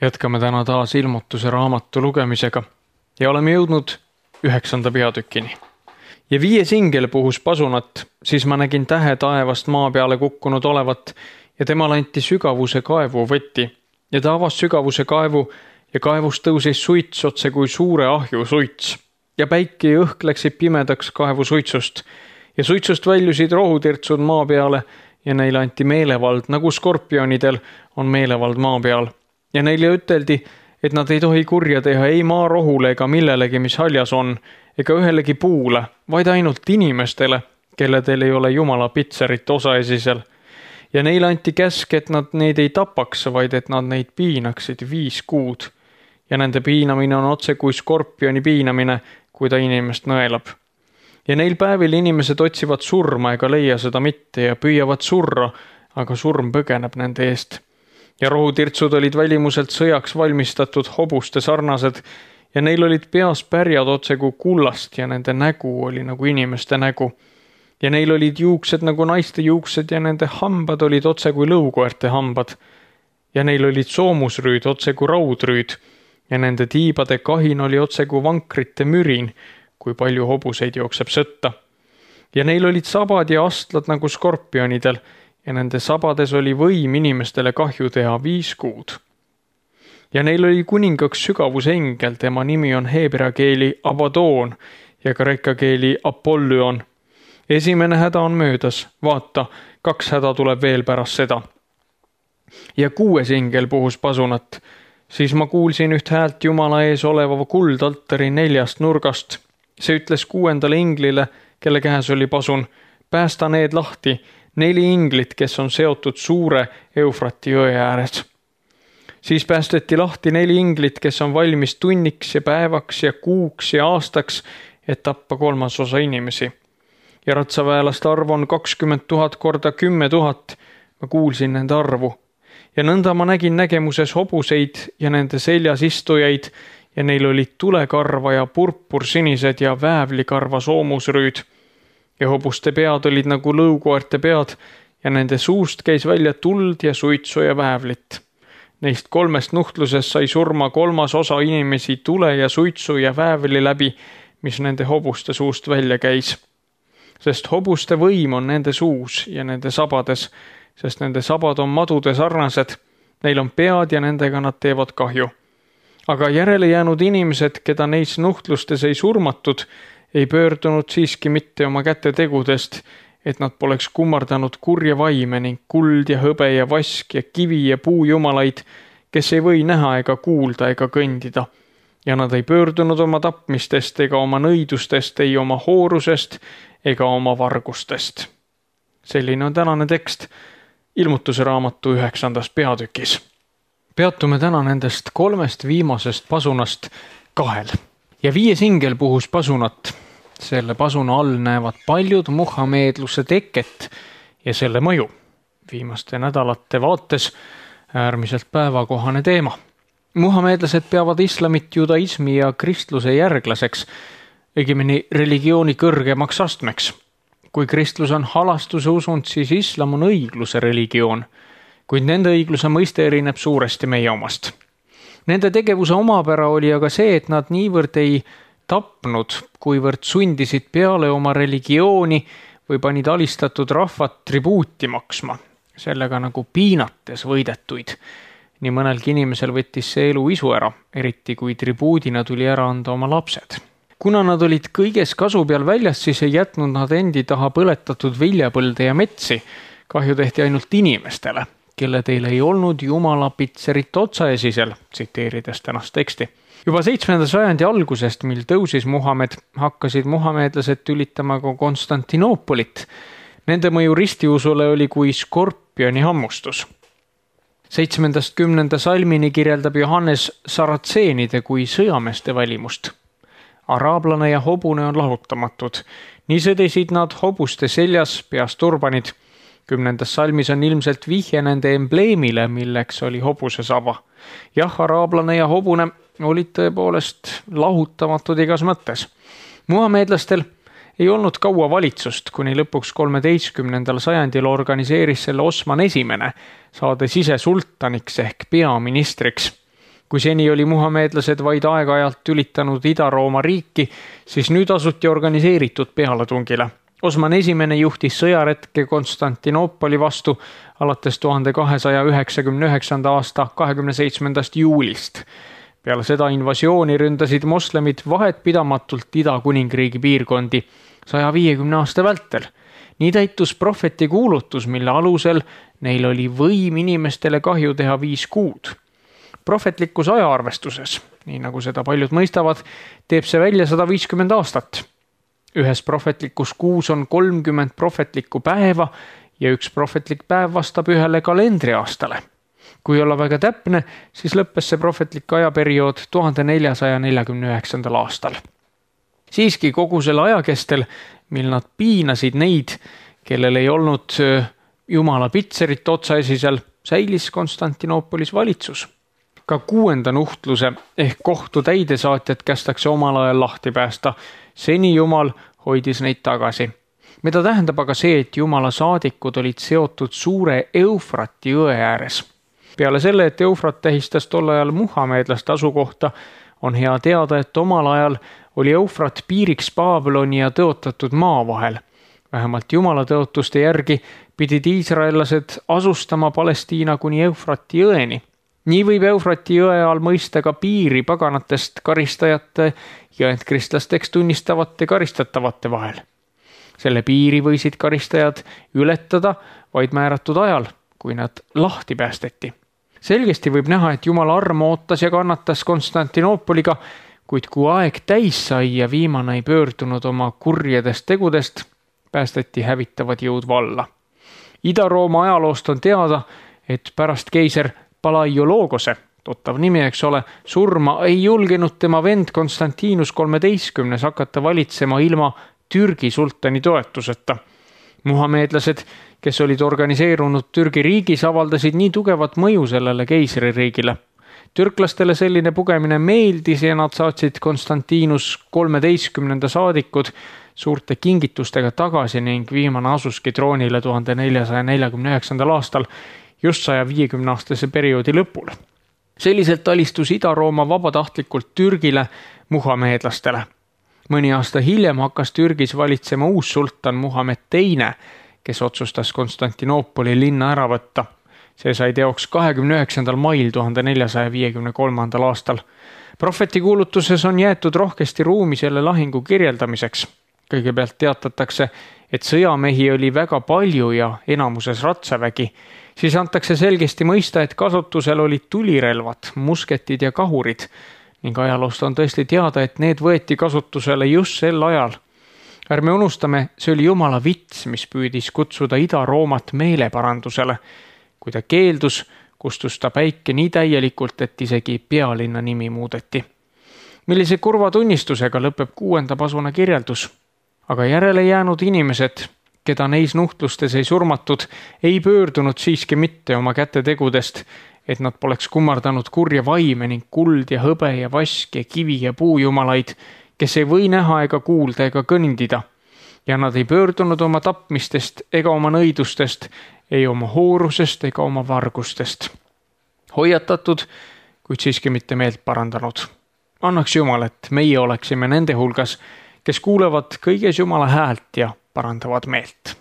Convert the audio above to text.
Jätkame täna taas Ilmutuse raamatu lugemisega ja oleme jõudnud 9. peatükini. Ja 5. ingel puhus pasunat, siis ma nägin tähe taevast maa peale kukkunud olevat ja temale anti sügavuse kaevu võti ja ta avas sügavuse kaevu ja kaevust tõusis suits otse kui suure ahju suits ja päike ja õhk läksid pimedaks kaevu suitsust ja suitsust väljusid rohutirtsud maa peale ja neile anti meelevald, nagu skorpionidel on meelevald maa peal. Ja neile üteldi, et nad ei tohi kurja teha ei maarohule ega millelegi, mis haljas on, ega ühelegi puule, vaid ainult inimestele, kelledel ei ole Jumala pitserit osaesisel. Ja neile anti käsk, et nad neid ei tapaks, vaid et nad neid piinaksid 5 kuud. Ja nende piinamine on otse kui skorpioni piinamine, kui ta inimest nõelab. Ja neil päevil inimesed otsivad surma ega leia seda mitte ja püüavad surra, aga surm põgeneb nende eest. Ja rohutirtsud olid välimuselt sõjaks valmistatud hobuste sarnased ja neil olid peas pärjad otse kui kullast ja nende nägu oli nagu inimeste nägu. Ja neil olid juuksed nagu naiste juuksed ja nende hambad olid otse kui lõukoerte hambad. Ja neil olid soomusrüüd otse kui raudrüüd ja nende tiibade kahin oli otse kui vankrite mürin, kui palju hobuseid jookseb sõtta. Ja neil olid sabad ja astlad nagu skorpionidel ja nende sabades oli võim inimestele kahju teha 5 kuud. Ja neil oli kuningaks sügavuse engel, tema nimi on heebrea keeli Abadoon ja kreeka keeli Apollyon. Esimene häda on möödas, vaata, 2 häda tuleb veel pärast seda. Ja 6. ingel puhus pasunat, siis ma kuulsin üht häält Jumala ees oleva kuldaltari 4 nurgast. See ütles 6. inglile, kelle käes oli pasun, päästa need lahti, 4 inglit, kes on seotud suure Eufrati jõe ääres. Siis päästeti lahti 4 inglit, kes on valmis tunniks ja päevaks ja kuuks ja aastaks, et tappa 3 osa inimesi. Ja ratsaväelaste arv on 20 000 korda 10 000. Ma kuulsin nende arvu. Ja nõnda ma nägin nägemuses hobuseid ja nende seljas istujaid ja neil olid tulekarva ja purpursinised ja väävlikarva soomusrüüd. Ja hobuste pead olid nagu lõukoerte pead ja nende suust käis välja tuld ja suitsu ja väävlit. Neist 3 nuhtlusest sai surma 3 osa inimesi tule ja suitsu ja väävli läbi, mis nende hobuste suust välja käis. Sest hobuste võim on nende suus ja nende sabades, sest nende sabad on madude sarnased, neil on pead ja nendega nad teevad kahju. Aga järele jäänud inimesed, keda neis nuhtlustes ei surmatud, ei pöördunud siiski mitte oma käte tegudest, et nad poleks kummardanud kurja vaime ning kuld ja hõbe ja vask ja kivi ja puujumalaid, kes ei või näha ega kuulda ega kõndida. Ja nad ei pöördunud oma tapmistest ega oma nõidustest, ei oma hoorusest ega oma vargustest. Selline on tänane tekst Ilmutuse raamatu 9. peatükis. Peatume täna nendest 3 viimasest pasunast 2. Ja 5. ingel puhus pasunat. Selle pasuna all näevad paljud muhameedluse teket ja selle mõju. Viimaste nädalate vaates äärmiselt päevakohane teema. Muhameedlased peavad islamit, judaismi ja kristluse järglaseks, õigemini religiooni kõrgemaks astmeks. Kui kristlus on halastuse usund, siis islam on õigluse religioon, kuid nende õigluse mõiste erineb suuresti meie omast. Nende tegevuse omapära oli aga see, et nad niivõrd ei tapnud, kuivõrd sundisid peale oma religiooni või panid alistatud rahvat tribuuti maksma, sellega nagu piinates võidetuid. Nii mõnelgi inimesel võttis see elu isu ära, eriti kui tribuudina tuli ära anda oma lapsed. Kuna nad olid kõiges kasu peal väljas, siis ei jätnud nad endi taha põletatud viljapõlde ja metsi. Kahju tehti ainult inimestele, kelle teil ei olnud Jumala pitserit otsaesisel, tsiteerides tänast teksti. Juba 7. sajandi algusest, mil tõusis Muhamed, hakkasid muhameedlased tülitama ka Konstantinoopolit. Nende mõju ristiusule oli kui skorpioni hammustus. 7.–10. salmini kirjeldab Johannes saratseenide kui sõjameeste välimust. Araablane ja hobune on lahutamatud. Nii sõdisid nad hobuste seljas, peas turbanid. 10. salmis on ilmselt vihje nende embleemile, milleks oli hobuse saba. Jah, araablane ja hobune olid tõepoolest lahutamatud igas mõttes. Muhameedlastel ei olnud kaua valitsust, kuni lõpuks 13. sajandil organiseeris selle Osman I, saades ise sultaniks ehk peaministriks. Kui seni oli muhameedlased vaid aeg-ajalt tülitanud Ida-Rooma riiki, siis nüüd asuti organiseeritud pealetungile. Osman I juhtis sõjaretke Konstantinoopoli vastu alates 1299. aasta 27. juulist. Peale seda invasiooni ründasid moslemid vahetpidamatult Ida-Kuningriigi piirkondi 150 aasta vältel. Nii täitus prohveti kuulutus, mille alusel neil oli võim inimestele kahju teha 5 kuud. Prohvetlikus ajaarvestuses, nii nagu seda paljud mõistavad, teeb see välja 150 aastat. Ühes prohvetlikus kuus on 30 prohvetlikku päeva ja üks prohvetlik päev vastab ühele kalendriaastale. Kui olla väga täpne, siis lõppes see prohvetlik ajaperiood 1449. aastal. Siiski kogu selle ajakestel, mil nad piinasid neid, kellel ei olnud Jumala pitserit otsaesisel, säilis Konstantinoopolis valitsus. Ka 6. nuhtluse ehk kohtu täidesaatjad kästakse omal ajal lahti päästa. Seni Jumal hoidis neid tagasi. Mida tähendab aga see, et Jumala saadikud olid seotud suure Eufrati jõe ääres. Peale selle, et Eufrat tähistas tol ajal muhameedlaste asukohta, on hea teada, et omal ajal oli Eufrat piiriks Babyloni ja tõotatud maa vahel. Vähemalt Jumala tõotuste järgi pidid iisraellased asustama Palestiina kuni Eufrati jõeni. Nii võib Eufrati jõe all mõista ka piiri paganatest karistajate ja kristlasteks tunnistavate karistatavate vahel. Selle piiri võisid karistajad ületada vaid määratud ajal, kui nad lahti päästeti. Selgesti võib näha, et Jumala arm ootas ja kannatas Konstantinoopoliga, kuid kui aeg täis sai ja viimane ei pöördunud oma kurjedest tegudest, päästeti hävitavad jõud valla. Ida-Rooma ajaloost on teada, et pärast keiser Palaiologose, tuttav nimi, eks ole, surma ei julgenud tema vend Konstantinus 13. hakata valitsema ilma Türgi sultani toetuseta. Muhameedlased, kes olid organiseerunud Türgi riigis, avaldasid nii tugevat mõju sellele keisririigile. Türklastele selline pugemine meeldis ja nad saatsid Konstantinus 13. saadikud suurte kingitustega tagasi ning viimane asuski troonile 1449. aastal just 150-aastase perioodi lõpul. Selliselt alistus Ida-Rooma vabatahtlikult Türgile muhameedlastele. Mõni aasta hiljem hakkas Türgis valitsema uus sultan Muhamed II, kes otsustas Konstantinoopoli linna ära võtta. See sai teoks 29. mail 1453. aastal. Prohveti kuulutuses on jäetud rohkesti ruumi selle lahingu kirjeldamiseks. Kõigepealt teatatakse, et sõjamehi oli väga palju ja enamuses ratsavägi. Siis antakse selgesti mõista, et kasutusel olid tulirelvad, musketid ja kahurid ning ajaloost on tõesti teada, et need võeti kasutusele just sel ajal. Ärme unustame, see oli Jumala vits, mis püüdis kutsuda Ida-Roomat meeleparandusele. Kui ta keeldus, kustus ta päike nii täielikult, et isegi pealinna nimi muudeti. Millise kurva tunnistusega lõpeb 6. pasuna kirjeldus. Aga järele jäänud inimesed, keda neis nuhtlustes ei surmatud, ei pöördunud siiski mitte oma kätetegudest, et nad poleks kummardanud kurja vaime ning kuld ja hõbe ja vask ja kivi ja puujumalaid, kes ei või näha ega kuulda ega kõndida. Ja nad ei pöördunud oma tapmistest ega oma nõidustest, ei oma hoorusest ega oma vargustest. Hoiatatud, kuid siiski mitte meelt parandanud. Annaks Jumal, et meie oleksime nende hulgas, kes kuulevad kõiges Jumala häält ja parandavad meelt.